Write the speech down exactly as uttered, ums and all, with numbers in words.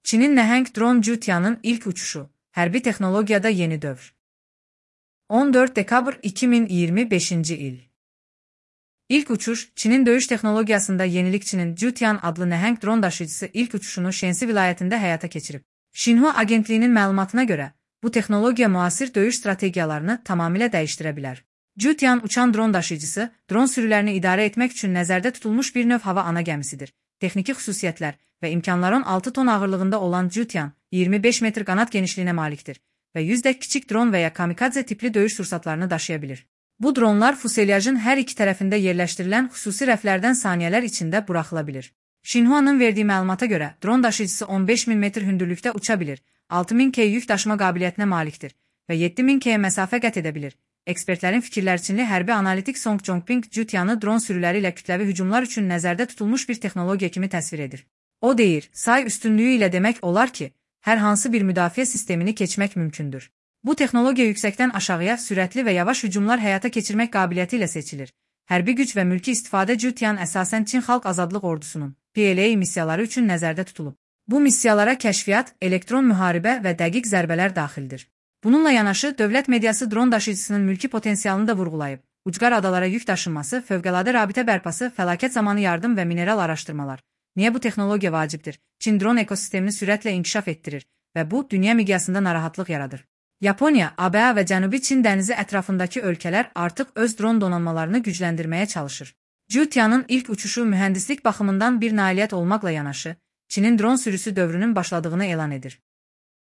Çinin nəhəng dron Zhutian'ın ilk uçuşu, hərbi texnologiyada yeni dövr. on dörd dekabr iki min iyirmi beşinci il. İlk uçuş, Çinin döyüş texnologiyasında yenilikçinin Zhutian adlı nəhəng dron daşıyıcısı ilk uçuşunu Shensi vilayətində həyata keçirib. Xinhua agentliyinin məlumatına görə, bu texnologiya müasir döyüş strategiyalarını tamamilə dəyişdirə bilər. Zhutian uçan dron daşıyıcısı, dron sürülərini idarə etmək üçün nəzərdə tutulmuş bir növ hava ana gəmisidir. Texniki xüsusiyyətlər və imkanların altı ton ağırlığında olan Zhutian, iyirmi beş metr qanat genişliyinə malikdir və yüzdək kiçik dron və ya kamikadze tipli döyüş sursatlarını daşıya bilir. Bu dronlar fuselyajın hər iki tərəfində yerləşdirilən xüsusi rəflərdən saniyələr içində buraxıla bilir. Xinhuanın verdiyi məlumata görə, dron daşıyıcısı on beş min metr hündürlükdə uça bilir, altı min kiloqram yük daşıma qabiliyyətinə malikdir və yeddi min kilometr məsafə qət edə bilir. Ekspertlərin fikirlərçinli hərbi analitik Song Zhongping Zhutian'ı dron sürüləri ilə kütləvi hücumlar üçün nəzərdə tutulmuş bir texnologiya kimi təsvir edir. O deyir, say üstünlüyü ilə demək olar ki, hər hansı bir müdafiə sistemini keçmək mümkündür. Bu texnologiya yüksəkdən aşağıya sürətli və yavaş hücumlar həyata keçirmək qabiliyyəti ilə seçilir. Hərbi güc və mülki istifadə Zhutian əsasən Çin Xalq Azadlıq Ordusunun P L A missiyaları üçün nəzərdə tutulub. Bu missiyalara kəşfiyyat, elektron müharibə və dəqiq zərbələr daxildir. Bununla yanaşı, dövlət mediası dron daşıyıcısının mülki potensialını da vurğulayıb. Ucqar adalara yük daşınması, fövqəladə rabitə bərpası, fəlakət zamanı yardım və mineral araşdırmalar. Niyə bu texnologiya vacibdir? Çin dron ekosistemini sürətlə inkişaf etdirir və bu, dünya miqyasında narahatlıq yaradır. Yaponiya, A B A və Cənubi Çin dənizi ətrafındakı ölkələr artıq öz dron donanmalarını gücləndirməyə çalışır. Zhutian'ın ilk uçuşu mühəndislik baxımından bir nailiyyət olmaqla yanaşı, Çinin dron sürüsü dövrünün başladığını elan edir.